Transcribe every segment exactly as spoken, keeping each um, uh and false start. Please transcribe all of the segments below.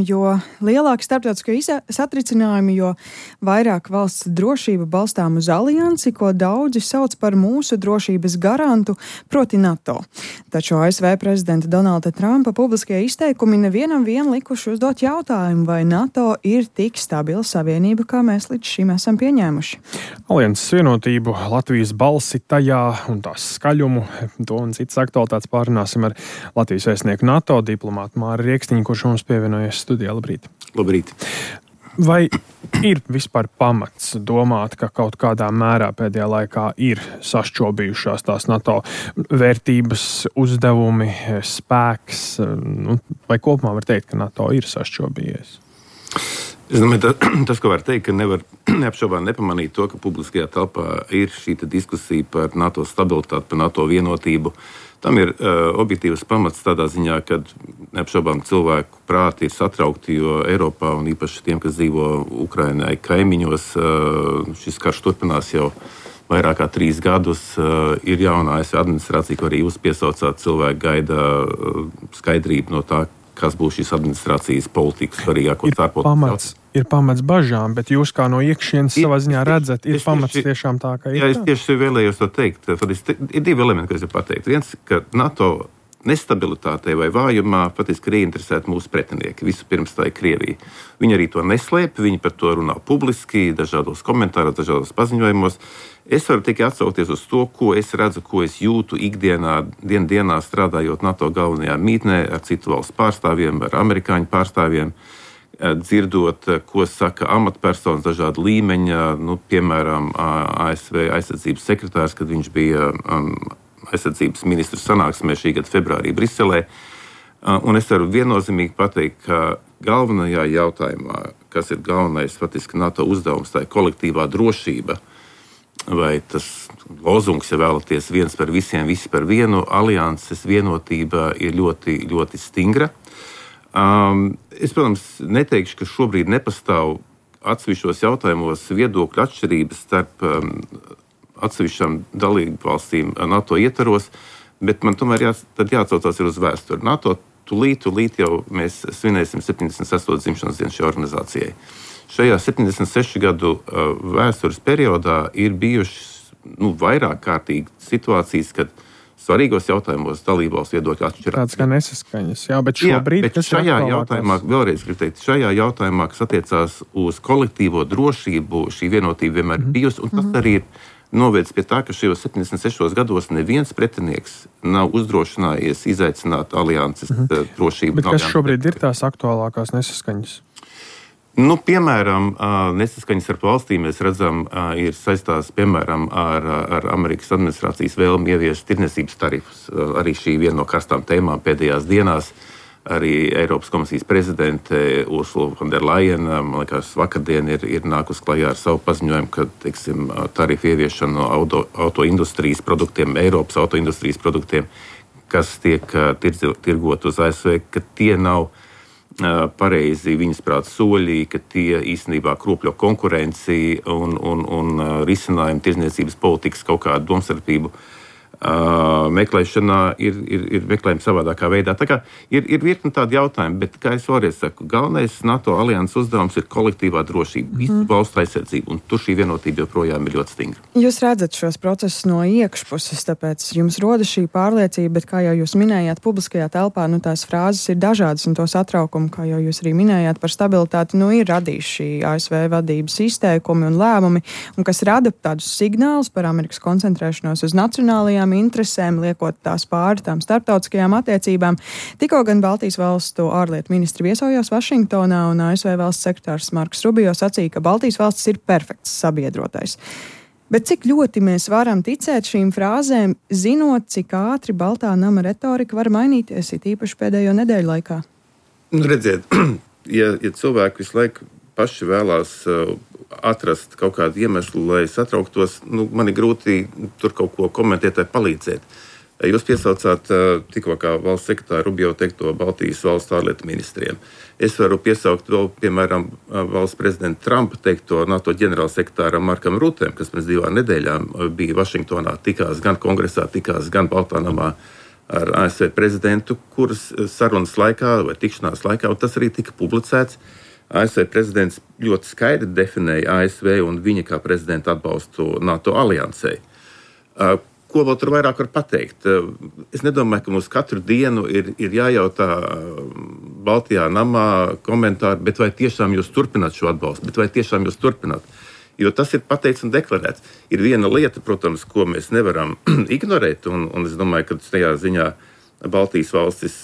Jo lielāki starptautiskie satricinājumi, jo vairāk valsts drošība balstām uz aliansi, ko daudzi sauc par mūsu drošības garantu, proti NATO. Taču A S V prezidenta Donalda Trumpa publiskie izteikumi nevienam vien likuši uzdot jautājumu, vai NATO ir tik stabila savienība, kā mēs līdz šim esam pieņēmuši. Alianses vienotību, Latvijas balsi tajā un tās skaļumu, to un citas aktualitātes pārunāsim ar Latvijas vēstnieku NATO diplomātu Māri Riekstiņu, kurš mums pievienojas studijā. Labrīt. Labrīt. Vai ir vispār pamats domāt, ka kaut kādā mērā pēdējā laikā ir sašķobījušās tās NATO vērtības, uzdevumi, spēks, nu, vai kopumā var teikt, ka NATO ir sašķobījies? Es domāju, tas, ko var teikt, ka nevar neapšaubām nepamanīt to, ka publiskajā telpā ir šī diskusija par NATO stabilitāti, par NATO vienotību. Tam ir uh, objektīvs pamats tādā ziņā, ka neapšaubām cilvēku prāti ir satraukti, jo Eiropā un īpaši tiem, kas dzīvo Ukrainai kaimiņos, uh, šis karš turpinās jau vairāk kā trīs gadus. Uh, ir jaunā A S V administrācija, ko arī jūs piesaucāt, cilvēki gaida uh, skaidrību no tā, kas būs šīs administrācijas politikas svarīgāko ārpolitikas. Ir pamats bažām, bet jūs kā no iekšienes savā ziņā redzat, ir pamats tieši, tiešām tā, ka ir. Jā, es tieši vēlējos to teikt. Ir divi elementi, ko es jau pateiktu. Viens, ka NATO nestabilitātei vai vājumā patiesībā ir ieinteresēti mūsu pretinieki. Vispirms tā ir Krievija. Viņi arī to neslēp, viņi par to runā publiski, dažādos komentāros, dažādos paziņojumos. Es varu tikai atsaukties uz to, ko es redzu, ko es jūtu ikdienā, dien dienā strādājot NATO galvenajā mītnē ar citu valstu pārstāvjiem, ar amerikāņu pārstāvjiem, dzirdot, ko saka amatpersonas dažāda līmeņa, nu, piemēram, A S V aizsardzības sekretārs, kad viņš bija um, aizsardzības ministru sanāksmē šī gada februārī Briselē. Un es varu viennozīmīgi pateikt, ka galvenajā jautājumā, kas ir galvenais faktiski NATO uzdevums, tā ir kolektīvā drošība, vai tas lozungs, ja vēlaties, viens par visiem, visi par vienu, alianses vienotība ir ļoti, ļoti stingra. Um, es, protams, neteikšu, ka šobrīd nepastāv atsevišķos jautājumos viedokļu atšķirības starp um, atsevišķām dalību valstīm NATO ietvaros, bet man tomēr jā, tad jāatcaucās ir uz vēsturi. NATO tulīt, tulīt jau mēs svinēsim septiņdesmit sesto dzimšanas dienu šai organizācijai. Šajā septiņdesmit sešu gadu uh, vēstures periodā ir bijušas nu, vairāk kārtīgi situācijas, kad svarīgos jautājumos dalībvalstu viedokļi atšķirās. Tāds kā nesaskaņas, jā, bet šobrīd, jā, bet šajā jautājumā, vēlreiz gribu teikt, šajā jautājumā, kas attiecās uz kolektīvo drošību, šī vienotība vienmēr mm-hmm. bijusi, un tas arī ir novēdz pie tā, ka šajos septiņdesmit sešos gados neviens pretinieks nav uzdrošinājies izaicināt alianses mm-hmm. drošību. Bet kas šobrīd ir tās aktuālākās nesaskaņas? Nu, piemēram, nesaskaņas starp valstīm mēs redzam, ir saistās piemēram ar, ar Amerikas administrācijas vēlmi ieviest tirdzniecības tarifus. Arī šī viena no karstām tēmām pēdējās dienās. Arī Eiropas komisijas prezidente Ursula von der Leyen, man liekas, vakardien ir, ir nākus klajā ar savu paziņojumu, ka, teiksim, tarifu ieviešana no auto, autoindustrijas produktiem, Eiropas autoindustrijas produktiem, kas tiek tirgot uz A S V, ka tie nav pareizi viņas prāt soļi, ka tie īstenībā kropļo konkurenci un, un, un risinājumu tirdzniecības politikas kaut kādu domstarpību uh, meklēšanā ir, ir, ir meklējumi savādākā veidā. Tā kā ir, ir virkni tādi jautājumi, bet, kā es vēlreiz saku, galvenais NATO alianses uzdevums ir kolektīvā drošība, visu mm. valstu aizsardzība, un tur šī vienotība joprojām ir ļoti stingra. Jūs redzat šos procesus no iekšpuses, tāpēc jums rodas šī pārliecība, bet, kā jau jūs minējāt, publiskajā telpā, nu, tās frāzes ir dažādas, un to satraukumu, kā jau jūs arī minējāt par stabilitāti, nu, ir radījuši šī A S V vadības izteikumi un lēmumi, un kas rada tādus signālus par Amerikas koncentrēšanos uz nacionālajām interesēm, liekot tās pāri tām starptautiskajām attiecībām. Tikko gan Baltijas valstu ārlietu ministri viesojās Vašingtonā, un A S V valsts sekretārs Marks Rubio sacīja, ka Baltijas valstis ir perfekts sabiedrotais. Bet cik ļoti mēs varam ticēt šīm frāzēm, zinot, cik ātri Baltā nama retorika var mainīties, it īpaši pēdējo nedēļu laikā? Nu, redziet, ja, ja cilvēki visu laiku paši vēlās uh, atrast kaut kādu iemeslu, lai satrauktos, nu, man ir grūti tur kaut ko komentēt vai palīdzēt. Jūs piesaucāt uh, tikko kā valsts sekretāra Rubio teikto Baltijas valstu ārlietu ministriem. Es varu piesaukt vēl, piemēram, valsts prezidenta Trumpa teikto NATO ģenerālsekretāram Markam Rutēm, kas pirms divām nedēļām bija Vašingtonā, tikās gan kongresā, tikās gan Baltā namā ar A S V prezidentu, kuras sarunas laikā vai tikšanās laikā, un tas arī tika publicēts. A S V prezidents ļoti skaidri definēja A S V un viņa kā prezidenta atbalstu NATO aliansei. Ko vēl tur vairāk var pateikt? Es nedomāju, ka mums katru dienu ir, ir jājautā Baltijā namā komentāri, bet vai tiešām jūs turpināt šo atbalstu, bet vai tiešām jūs turpināt? Jo tas ir pateikts un deklarēts. Ir viena lieta, protams, ko mēs nevaram ignorēt, un, un es domāju, ka tajā ziņā Baltijas valstis,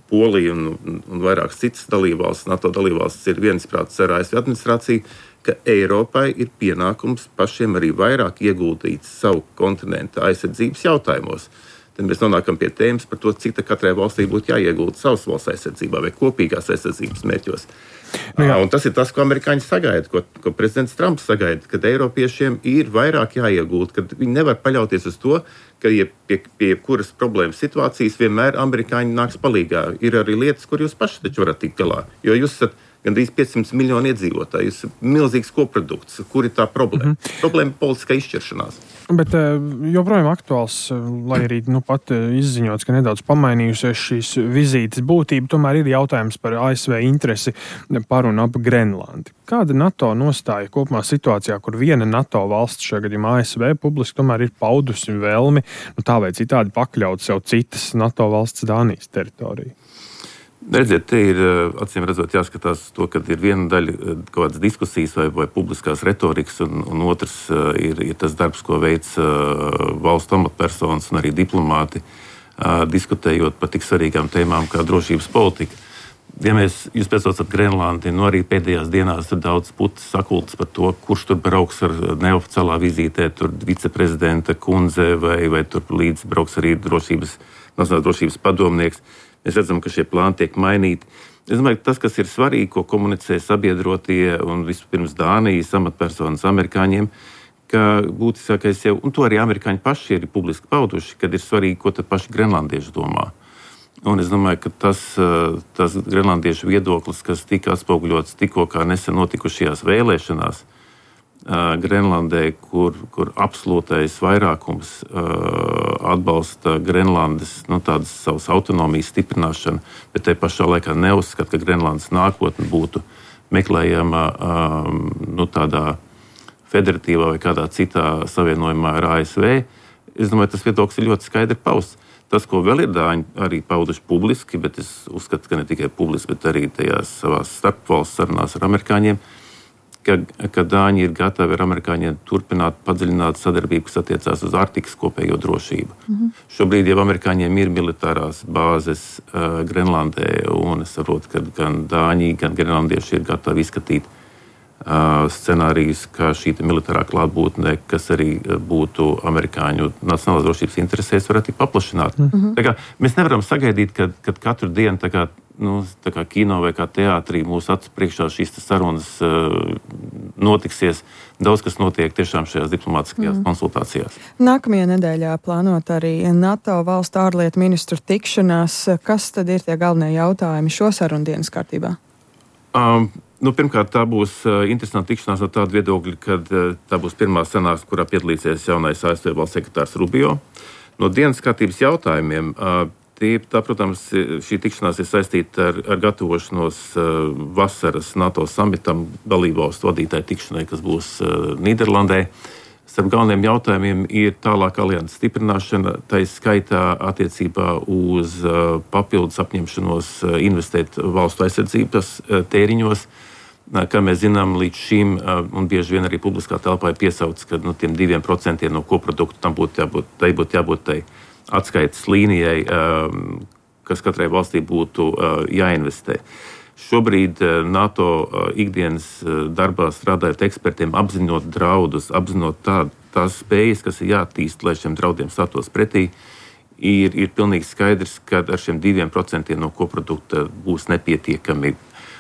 Polija un, un vairākas citas dalībvalstis, NATO dalībvalstis ir viensprātis ar A S V administrāciju, ka Eiropai ir pienākums pašiem arī vairāk ieguldīt savu kontinentu aizsardzības jautājumos. Tad mēs nonākam pie tēmas par to, cik katrai valstī būtu jāiegulda savas valsts aizsardzībā vai kopīgās aizsardzības mērķos. Nu, un tas ir tas, ko amerikāņi sagaida, ko, ko prezidents Trumps sagaida, kad eiropiešiem ir vairāk jāiegulda, kad viņi nevar paļauties uz to, ka ja pie, pie kuras problēmas situācijas vienmēr amerikāņi nāks palīgā. Ir arī lietas, kur jūs paši taču varat tikt galā, jo jūs esat gandrīz piecsimt miljoni iedzīvotāji. Tas ir milzīgs koprodukts. Kur ir tā problēma? Mm-hmm. Problēma ir politiskā izšķiršanās. Bet joprojām aktuāls, lai arī nu, pat izziņots, ka nedaudz pamainījusies šīs vizītes būtība, tomēr ir jautājums par A S V interesi par un ap Grenlandi. Kāda NATO nostāja kopumā situācijā, kur viena NATO valsts, šajā gadījumā A S V, publiski tomēr ir paudusi vēlmi, nu, tā vai citādi pakļaut sev citas NATO valsts Dānijas teritoriju? Redziet, te ir acīm redzot jāskatās to, ka ir viena daļa kaut kādas diskusijas vai, vai publiskās retorikas, un, un otrs ir, ir tas darbs, ko veic valstu amatpersonas un arī diplomāti, diskutējot par tik svarīgām tēmām kā drošības politika. Ja mēs, jūs piesaucat Grenlandi, nu arī pēdējās dienās tur daudz putas sakultas par to, kurš tur brauks ar neoficiālā vizītē, tur viceprezidenta kundze vai, vai tur līdz brauks arī drošības, nacionālās drošības padomnieks. Mēs redzam, ka šie plāni tiek mainīti. Es domāju, ka tas, kas ir svarīgi, ko komunicē sabiedrotie un vispirms Dānijas amatpersonas amerikāņiem, ka būtiskākais jau, un to arī amerikāņi paši ir publiski pauduši, kad ir svarīgi, ko tad paši grenlandieši domā. Un es domāju, ka tas, tas grenlandiešu viedoklis, kas tika atspoguļots tikko kā nesen notikušajās vēlēšanās uh, Grenlandē, kur, kur absolūtais vairākums uh, atbalsta Grenlandes nu, tādas savas autonomijas stiprināšanu, bet te pašā laikā neuzskata, ka Grenlandes nākotne būtu meklējama um, nu, tādā federatīvā vai kādā citā savienojumā ar A S V. Es domāju, tas viedoklis ir ļoti skaidri pausts. Tas, ko vēl ir Dāņi arī pauduši publiski, bet es uzskatu, ka ne tikai publiski, bet arī tajās savās starpvalsts sarunās ar amerikāņiem, ka, ka Dāņi ir gatavi ar amerikāņiem turpināt padziļināt sadarbību, kas attiecās uz Arktikas kopējo drošību. Mm-hmm. Šobrīd jau amerikāņiem ir militārās bāzes uh, Grenlandē, un es saprotu, ka gan Dāņi, gan grenlandieši ir gatavi izskatīt scenārijus, ka šī militārā klātbūtne, kas arī būtu amerikāņu nacionālās drošības interesēs, varētu tikt paplašināt. Mm-hmm. Tā kā mēs nevaram sagaidīt, ka, ka katru dienu tā kā, nu, tā kā kino vai kā teātrī mūsu acu priekšā šīs sarunas uh, notiksies. Daudz, kas notiek tiešām šajās diplomātiskajās mm. konsultācijās. Nākamajā nedēļā plānot arī NATO valstu ārlietu ministru tikšanās. Kas tad ir tie galvenie jautājumi šo sarunu dienas kārtībā? Um, Nu, pirmkārt, tā būs uh, interesanta tikšanās no tāda viedokļa, kad uh, tā būs pirmā sanāksme, kurā piedalīsies jaunais A S V valsts sekretārs Rubio. No dienas kārtības jautājumiem, uh, tie, tā, protams, šī tikšanās ir saistīta ar, ar gatavošanos uh, vasaras NATO samitam dalībvalstu vadītāju tikšanai, kas būs uh, Nīderlandē. Starp galvenajiem jautājumiem ir tālāk alianses stiprināšana, tā skaitā attiecībā uz uh, papildus apņemšanos uh, investēt valstu aizsardzības uh, tēriņos. Uh, kā mēs zinām, līdz šim, uh, un bieži vien arī publiskā telpā ir piesauts, ka nu, tiem diviem procentiem no koprodukta tam būtu jābūt, tai būtu jābūt tai atskaites līnijai, uh, kas katrai valstī būtu uh, jāinvestē. Šobrīd NATO ikdienas darbā strādājot ekspertiem, apzinot draudus, apzinot tā, tās spējas, kas ir jāattīst, lai šiem draudiem stātos pretī, ir, ir pilnīgi skaidrs, ka ar šiem diviem procentiem no koprodukta būs nepietiekami.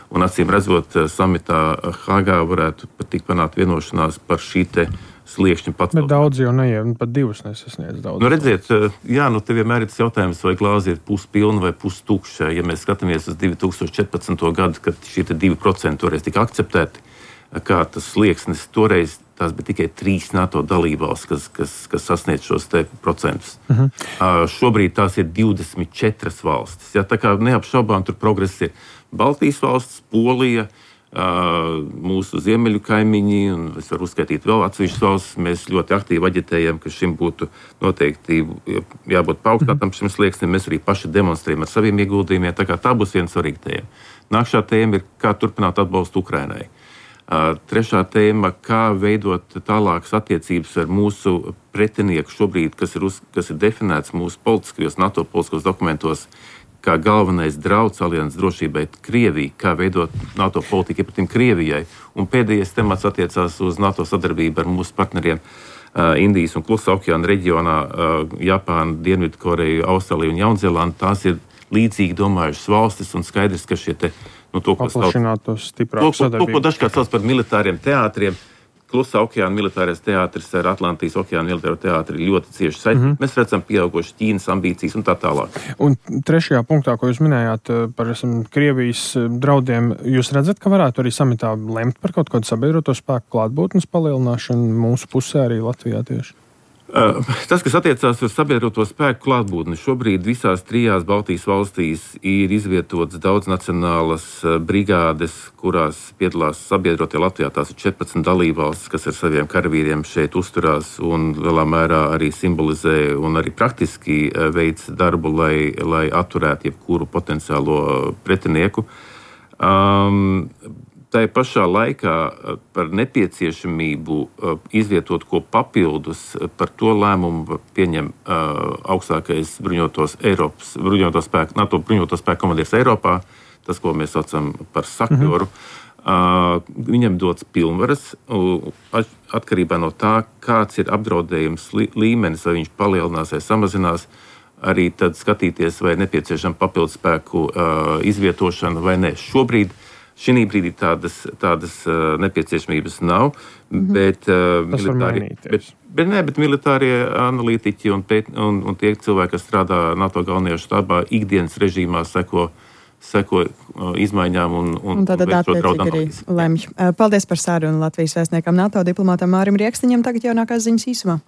Un acīm redzot, samitā Hāgā varētu pat tikt panākt vienošanās par šī te sliekšņa pacelšanu. Bet daudz jau neiem, pat divus nesasniedz daudz. Nu, redziet, jā, nu te vienmēr ir tas jautājums, vai glāze ir puspilna vai pustukša. Ja mēs skatāmies uz divi tūkstoši četrpadsmito gadu, kad šie divi procenti toreiz tika akceptēti, kā tas slieksnis, toreiz tās bija tikai trīs NATO dalībvalstis, kas, kas, kas sasniedz šos te procentus. Uh-huh. Uh, šobrīd tās ir divdesmit četras valstis. Ja, tā kā neapšaubām tur progress ir Baltijas valsts, Polija, Uh, mūsu ziemeļu kaimiņi, un es varu uzskaitīt vēl atsevišķas valstis. Mēs ļoti aktīvi aģitējam, ka šim būtu noteikti jābūt paaugstinātam šim slieksnim. Mēs arī paši demonstrējam ar saviem ieguldījumiem. Tā kā tā būs viena svarīga tēma. Nākšā tēma ir, kā turpināt atbalstu Ukrainai. Uh, trešā tēma, kā veidot tālākas attiecības ar mūsu pretinieku šobrīd, kas ir, uz, kas ir definēts mūsu politiskajos, NATO politiskos dokumentos, kā galvenais drauds alianses drošībai Krievijai, kā veidot NATO politiku iepratim Krievijai. Un pēdējais temats attiecās uz NATO sadarbību ar mūsu partneriem uh, Indijas un Klusā okeāna reģionā, uh, Japānu, Dienvidkoreju, Austrāliju un Jaunzēlandu. Tās ir līdzīgi domājušas valstis un skaidrs, ka šie te, nu, to, ko paplašinātos stiprāk sadarbību. To, ko dažkārt sauc par militāriem teātriem, Klusā okeāna militārais teātris ar Atlantijas okeāna militāro teātri ļoti cieši saistīti. Mm-hmm. Mēs redzam pieaugušas Ķīnas ambīcijas un tā tālāk. Un trešajā punktā, ko jūs minējāt par esam, Krievijas draudiem, jūs redzat, ka varētu arī samitā lemt par kaut kādu sabiedroto spēku klātbūtnes palielināšanu mūsu pusē arī Latvijā tieši? Uh, tas, kas attiecās uz sabiedroto spēku klātbūtni, šobrīd visās trijās Baltijas valstīs ir izvietotas daudznacionālas brigādes, kurās piedalās sabiedrotie Latvijā. Tās ir četrpadsmit dalībvalstis, kas ar saviem karavīriem šeit uzturās un lielā mērā arī simbolizē un arī praktiski veic darbu, lai, lai atturētu jebkuru potenciālo pretinieku. Um, Tā pašā laikā par nepieciešamību izvietot ko papildus, par to lēmumu pieņem augstākais bruņotos Eiropas, bruņoto spēku, NATO bruņoto spēku komandieris Eiropā, tas, ko mēs saucam par sakjoru. Mm-hmm. Viņam dots pilnvaras atkarībā no tā, kāds ir apdraudējums līmenis, vai viņš palielinās vai samazinās, arī tad skatīties, vai nepieciešama papildus spēku izvietošana vai ne. Šobrīd Šī brīdī tādas, tādas uh, nepieciešamības nav, mm-hmm. bet, uh, militāri, bet, bet, ne, bet militārie analītiķi un, pēt, un, un tie cilvēki, kas strādā NATO galvenajā štābā, ikdienas režīmā seko, seko uh, izmaiņām un, un, un tātad attiecīgi arī lemj. Paldies par sarunu Latvijas vēstniekam NATO diplomātam Mārim Riekstiņam. Tagad jaunākās ziņas īsumā.